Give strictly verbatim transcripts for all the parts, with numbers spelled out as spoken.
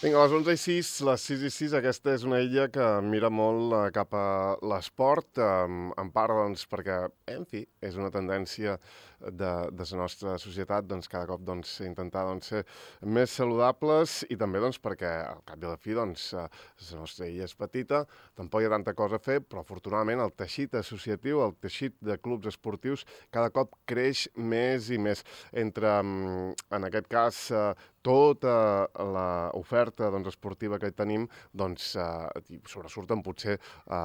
Vinga, a les onze i sis, les sis i sis, aquesta és una illa que mira molt eh, cap a l'esport, eh, en part, doncs, perquè, en fi, és una tendència de, de la nostra societat, doncs, cada cop, doncs, intentar, doncs, ser més saludables i també, doncs, perquè, al cap i a la fi, doncs, eh, la nostra illa és petita, tampoc hi ha tanta cosa a fer, però, afortunadament, el teixit associatiu, el teixit de clubs esportius, cada cop creix més i més. Entre, en aquest cas, eh, tota l'oferta doncs, esportiva que tenim, doncs, eh, sobresurten potser eh,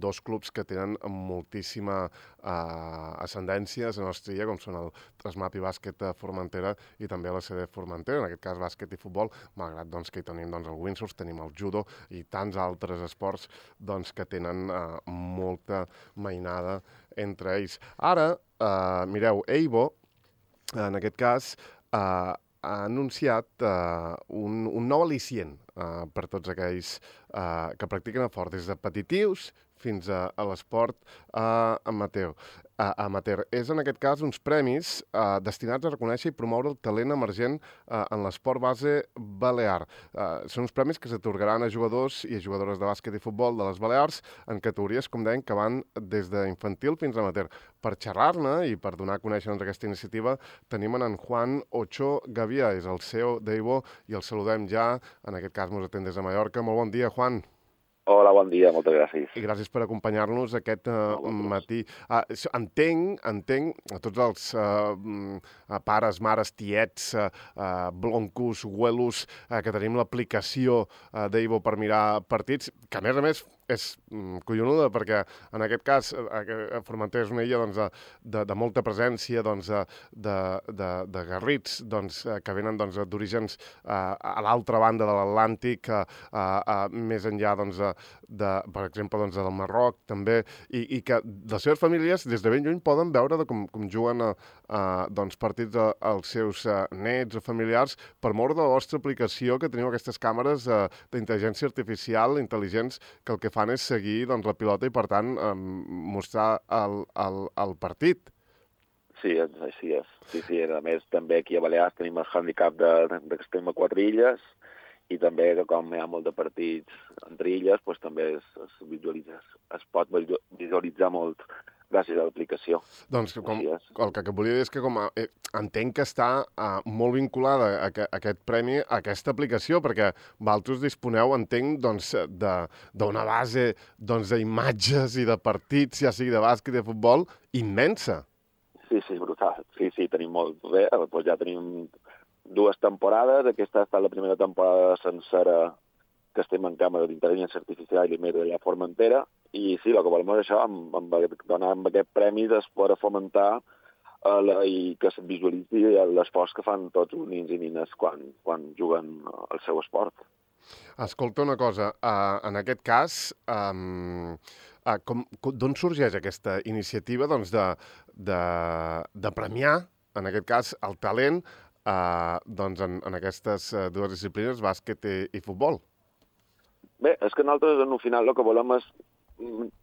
dos clubs que tenen moltíssima eh, ascendència a la nostra illa, com són el Trasmapi Bàsquet Formentera i també la C D Formentera, en aquest cas bàsquet i futbol, malgrat doncs, que hi tenim doncs, el windsurf, tenim el judo i tants altres esports doncs, que tenen eh, molta mainada entre ells. Ara, eh, mireu, Eibo, en aquest cas, eh, ha anunciat uh, un, un nou al·licient uh, per tots aquells uh, que practiquen el fort, des de petitius fins a, a l'esport uh, amateur. Uh, amateur. És, en aquest cas, uns premis uh, destinats a reconèixer i promoure el talent emergent uh, en l'esport base balear. Uh, són uns premis que s'atorgaran a jugadors i a jugadores de bàsquet i futbol de les Balears en categories, com deien, que van des d'infantil fins a amateur. Per xerrar-ne i per donar a conèixer doncs, aquesta iniciativa, tenim en Juan Ocho Gavia, és el C E O d'Eibo, i el saludem ja, en aquest cas mos atén des de Mallorca. Molt bon dia, Juan. Hola, bon dia, moltes gràcies. I gràcies per acompanyar-nos aquest uh, matí. Uh, entenc, entenc, a tots els uh, pares, mares, tiets, uh, uh, bloncos, güelos, uh, que tenim l'aplicació uh, d'Eibo per mirar partits, que a més a més és mm, collonuda, perquè en aquest cas eh, Formentera és una illa doncs, de, de, de molta presència doncs, de, de, de garrits doncs, que venen doncs, d'orígens eh, a l'altra banda de l'Atlàntic, eh, eh, més enllà, doncs, de, de, per exemple, doncs, del Marroc, també, i, i que les seves famílies des de ben lluny poden veure de com, com juguen a, a, doncs, partits a, als seus a, nets o familiars per mort de la vostra aplicació, que teniu aquestes càmeres a, d'intel·ligència artificial intel·ligents que el que fan és seguir doncs, la pilota i, per tant, eh, mostrar el, el, el partit. Sí, així és. Sí, sí. A més, també aquí a Balears tenim el handicap de, de que estem a quatre illes i també que com hi ha molt de partits entre illes, doncs també es, es, visualitza, es pot visualitzar molt gràcies a l'aplicació. Doncs com, el que volia dir és que com a, eh, entenc que està eh, molt vinculada a, a, a aquest premi, a aquesta aplicació, perquè vosaltres disponeu, entenc, doncs, d'una base doncs, d'imatges i de partits, ja sigui de bàsquet i de futbol, immensa. Sí, sí, brutal. Sí, sí, tenim molt bé. Doncs ja tenim dues temporades. Aquesta ha estat la primera temporada sencera que estem en càmera d'intel·ligència artificial i més de la Formentera, i sí, el que volem és això, amb, amb, donar amb aquest premi de poder fomentar eh, la, i que es visualitzi l'esforç que fan tots els nins i nines quan, quan juguen el seu esport. Escolta una cosa, uh, en aquest cas, um, uh, com, d'on sorgeix aquesta iniciativa doncs, de, de, de premiar, en aquest cas, el talent uh, doncs, en, en aquestes dues disciplines, bàsquet i, i futbol? Bé, és que nosaltres, en el final, el que volem és,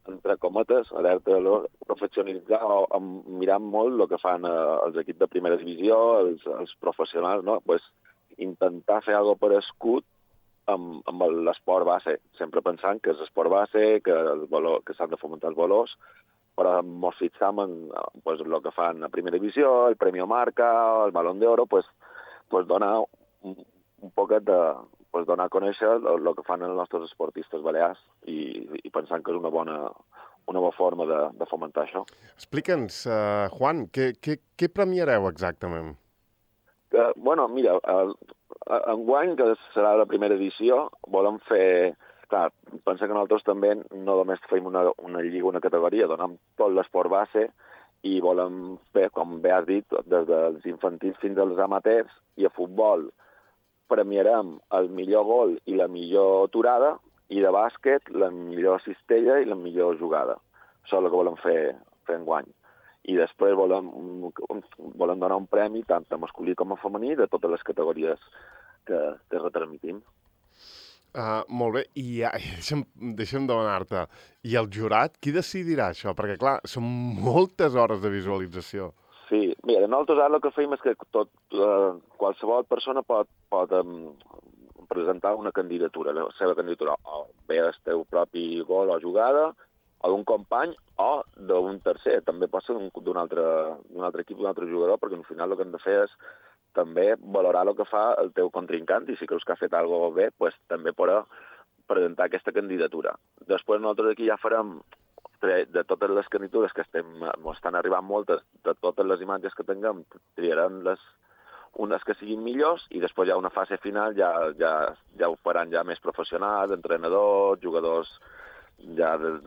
entre cometes, alerta, professionalitzar o, o mirar molt el que fan eh, els equips de primera divisió, els, els professionals, no? Pues, intentar fer alguna cosa per escut amb, amb l'esport base, sempre pensant que és esport base, que, el valor, que s'han de fomentar els valors, però ens fixam en pues, el que fan a primera divisió, el Premio Marca, el Balón d'Oro, pues, pues donar un, un poquet de... pues donar a conèixer el, el que fan els nostres esportistes balears i, i pensant que és una bona, una bona forma de, de fomentar això. Explica'ns, uh, Juan, què, què, què premiareu exactament? Que, bueno, mira, el, enguany, que serà la primera edició, volem fer... Clar, pensa que nosaltres també no només fem una, una lliga, una categoria, donem tot l'esport base i volem fer, com bé has dit, des dels infantils fins als amateurs, i a futbol premiarem el millor gol i la millor aturada, i de bàsquet la millor cistella i la millor jugada. Això és el que volem fer, fer enguany. I després volem, volem donar un premi tant a masculí com a femení de totes les categories que, que retransmitim. Uh, molt bé, i ja, deixa'm, deixa'm demanar-te, i el jurat, qui decidirà això? Perquè, clar, són moltes hores de visualització. Sí, mira, nosaltres ara el que fem és que tot, eh, qualsevol persona pot, pot, um, presentar una candidatura, la seva candidatura, o bé el teu propi gol o jugada, o d'un company, o d'un tercer. També pot ser d'un altre, d'un altre equip, d'un altre jugador, perquè al final el que hem de fer és també valorar el que fa el teu contrincant, i si creus que ha fet alguna cosa bé, pues, també podrà presentar aquesta candidatura. Després nosaltres aquí ja farem, de totes les candidatures que estem, estan arribant moltes, de totes les imatges que tinguem, triarem les unes que siguin millors, i després ja una fase final ja, ja, ja ho faran ja més professionals, entrenadors, jugadors ja de,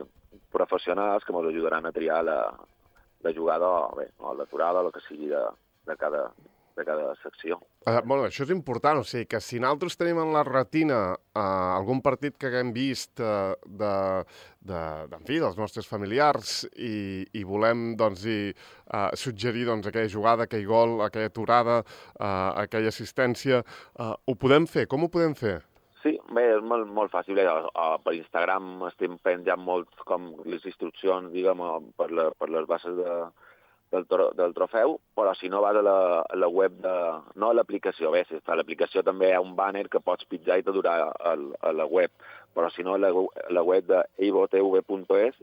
professionals que ens ajudaran a triar la, la jugada o, bé, o l'aturada o el que sigui de, de, cada, de cada secció. Uh, bueno, això és important, o sigui que si nosaltres tenim en la retina uh, algun partit que haguem vist uh, de, de, de, en fi, dels nostres familiars i, i volem doncs, i, uh, suggerir doncs, aquella jugada, aquell gol, aquella aturada, uh, aquella assistència, uh, ho podem fer? Com ho podem fer? Sí, bé, és molt, molt fàcil. Eh? Per Instagram estem penjant molt com les instruccions, diguem, per, la, per les bases de, del, del trofeu, però si no vas a la, a la web de... No a l'aplicació, bé, si està a l'aplicació també hi ha un banner que pots pitjar i t'adurar a, a la web, però si no a la, a la web de eivotv punt es,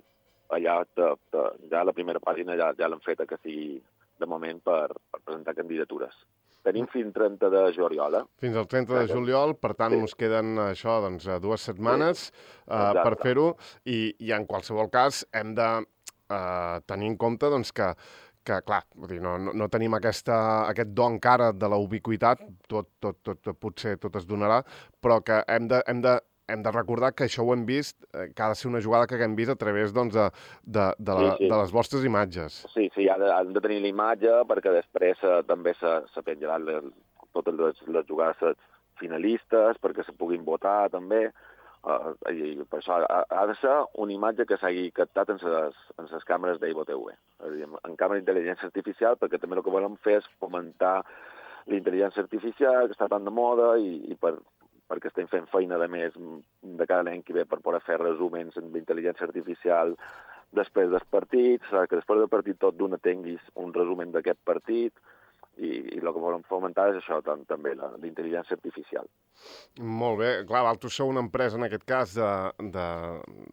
allà te, te, ja la primera pàgina ja, ja l'han feta que sigui de moment per, per presentar candidatures. Tenim fins trenta de juliol, eh? Fins al trenta de juliol, per tant, sí. Ens queden això, doncs, dues setmanes sí. uh, per fer-ho, i, i en qualsevol cas hem de uh, tenir en compte doncs, que, que clar, vull dir, no, no, no tenim aquesta, aquest do encara de la ubiquitat, tot, tot, tot, potser tot es donarà, però que hem de, hem de hem de recordar que això ho hem vist, eh, que ha de ser una jugada que haguem vist a través doncs, de, de, de, la, sí, sí. de les vostres imatges. Sí, sí, ha de, han de tenir la imatge perquè després eh, també se, se penjaran les, totes les, les jugades finalistes perquè se puguin votar també. Uh, i, i per això ha, ha de ser una imatge que s'hagi captat en les, en les càmeres d'EivoTV. És a dir, en càmera d'intel·ligència artificial, perquè també el que volem fer és fomentar la intel·ligència artificial, que està tan de moda, i, i per perquè estem fent feina, de més, de cada any que ve per poder fer resuments amb intel·ligència artificial després dels partits, que després del partit tot d'una tinguis un resumen d'aquest partit, i, i el que volem fomentar és això, tant, també, la, la intel·ligència artificial. Molt bé. Clar, vosaltres sou una empresa, en aquest cas, de, de,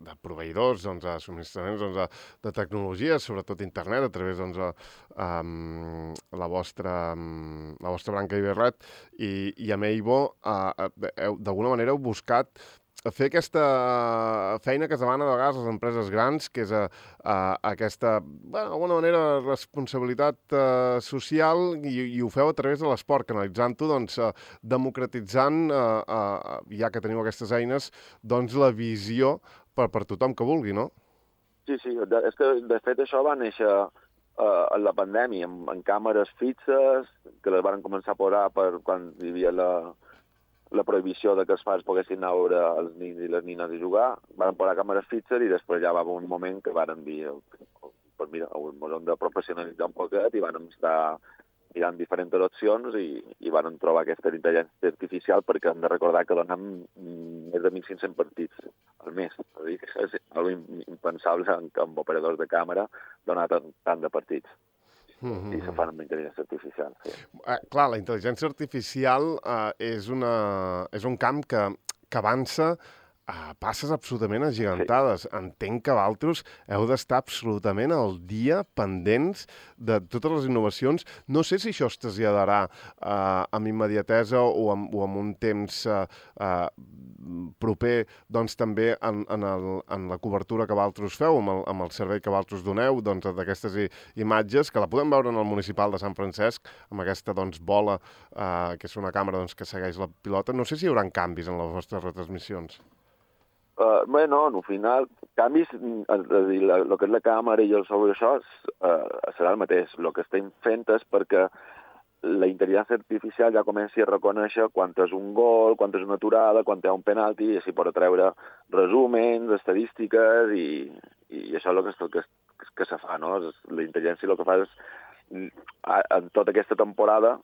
de proveïdors, doncs, de subministraments doncs, de, de tecnologia, sobretot internet, a través doncs, de um, la, vostra, um, la vostra branca Iberret, i, i amb Eivo, uh, d'alguna manera heu buscat fer aquesta feina que es demana de vegades a les empreses grans, que és a, a, aquesta, bueno, d'alguna manera, responsabilitat uh, social, i, i ho feu a través de l'esport, canalitzant-ho, doncs, uh, democratitzant, uh, uh, ja que teniu aquestes eines, doncs la visió per, per tothom que vulgui, no? Sí, sí, de, és que de fet això va néixer uh, en la pandèmia, amb, amb càmeres fixes, que les van començar a posar per quan hi havia la... la prohibició de que els pares poguessin anar a veure els nins i les nines a jugar, van posar càmeres fixes i després ja va haver un moment que van dir, pues mira, ens hem de professionalitzar un poquet, i van estar mirant diferents opcions i, i van trobar aquesta intel·ligència artificial, perquè hem de recordar que donem més de mil cinc-cents partits al mes. És dir, que és algo impensable amb operadors de càmera donar tant, tant de partits. Mm-hmm. I se fan amb intel·ligència artificial. Sí. Eh, clar, la intel·ligència artificial eh, és, una, és un camp que, que avança a passes absolutament agigantades. Sí. Entenc que vosaltres heu d'estar absolutament al dia, pendents de totes les innovacions. No sé si això es traslladarà eh, amb immediatesa o amb, o amb un temps eh, eh, proper, doncs també en, en, el, en la cobertura que vosaltres feu, amb el, amb el servei que vosaltres doneu, doncs, d'aquestes imatges, que la podem veure en el municipal de Sant Francesc, amb aquesta doncs, bola, eh, que és una càmera doncs, que segueix la pilota. No sé si hi haurà canvis en les vostres retransmissions. Uh, bé, no, al final, canvis, el que és la càmera i el sobre això uh, serà el mateix. El que estem fent és perquè la intel·ligència artificial ja comenci a reconèixer quan és un gol, quan és una aturada, quan hi ha un penalti, i així pot treure resúmens, estadístiques, i, i això és el que, que, que se fa, no? La intel·ligència el que fa és, en tota aquesta temporada,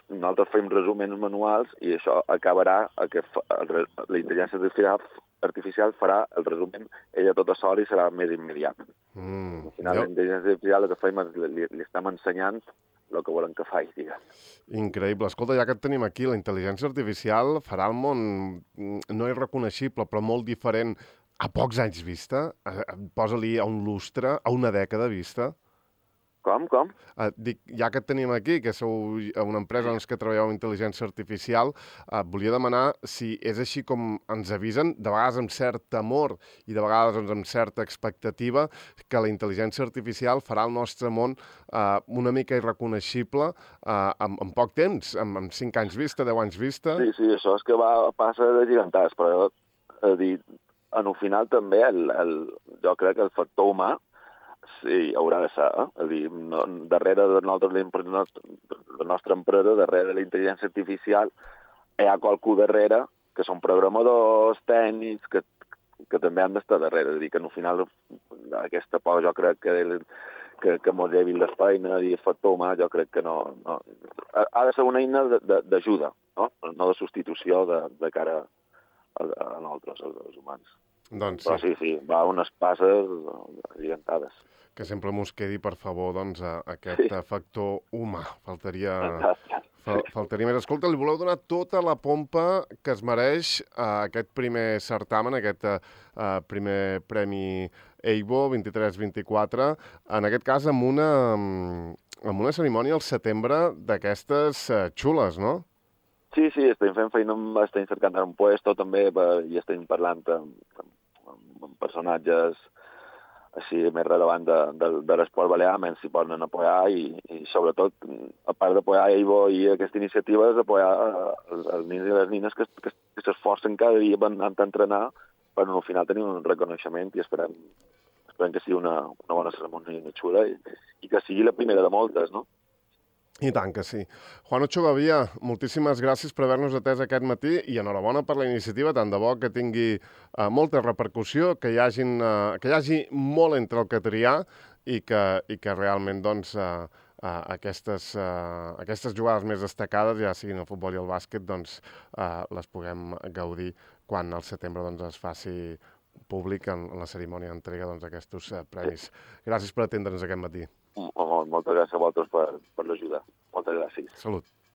nosaltres fem resúmens manuals, i això acabarà a que la intel·ligència artificial artificial farà el resumen ella tota sola i serà més immediat. Mm. Al final, la intel·ligència artificial el que fem és li, li estem ensenyant el que volem que faci, diguem. Increïble. Escolta, ja que et tenim aquí, la intel·ligència artificial farà el món, no irreconeixible, però molt diferent a pocs anys vista. Posa-li a un lustre, a una dècada vista. Com, com? Uh, dic, ja que et tenim aquí, que sou una empresa doncs, que treballeu amb intel·ligència artificial, uh, volia demanar si és així com ens avisen, de vegades amb cert temor i de vegades doncs, amb certa expectativa, que la intel·ligència artificial farà el nostre món uh, una mica irreconeixible uh, en, en poc temps, en, en cinc anys vista, deu anys vista. Sí, sí, això és que va, passa de gegantades, però a dir, en el final també el, el, jo crec que el factor humà sí, haurà de ser, eh? És a dir, no, darrere de nosaltres, la nostra empresa, darrere de la intel·ligència artificial, hi ha qualcú darrere, que són programadors, tècnics, que, que també han d'estar darrere. És a dir, que al final aquesta por jo crec que, que, que mos llevi les feines i el factor humà, jo crec que no... no ha de ser una eina d'ajuda, no? No de substitució de, de cara a, a nosaltres, als humans. Doncs Però sí, sí, va unes passes gigantades. Que sempre mos quedi, per favor, doncs, aquest sí. factor humà. Faltaria, fal, faltaria més. Escolta, li voleu donar tota la pompa que es mereix a aquest primer certamen, aquest uh, primer premi EIBO vint-i-tres vint-i-quatre, en aquest cas amb una, amb una cerimònia al setembre d'aquestes uh, xules, no? Sí, sí, estem fent feina, estem cercant un puesto també i estem parlant amb, amb, amb personatges així més relevants de, de, de l'esport balear, menys s'hi poden apoyar i, i sobretot, a part d'apoyar EIBO i aquesta iniciativa, és apoyar els, els nins i les nines que, que, que s'esforcen cada dia per anar a entrenar per al final tenir un reconeixement i esperem, esperem que sigui una, una bona cerimònia xula i, i que sigui la primera de moltes, no? I tant que sí. Juan Ocho Gavia, moltíssimes gràcies per haver-nos atès aquest matí i enhorabona per la iniciativa, tant de bo que tingui uh, molta repercussió, que hi, hagin, uh, que hi hagi molt entre el que triar i que, i que realment doncs, uh, uh, aquestes, uh, aquestes jugades més destacades, ja siguin el futbol i el bàsquet, doncs, uh, les puguem gaudir quan al setembre doncs, es faci públic en, en la cerimònia d'entrega doncs, d'aquests uh, premis. Gràcies per atendre'ns aquest matí. Moltes gràcies a vosaltres per, per l'ajuda. Moltes gràcies. Salut.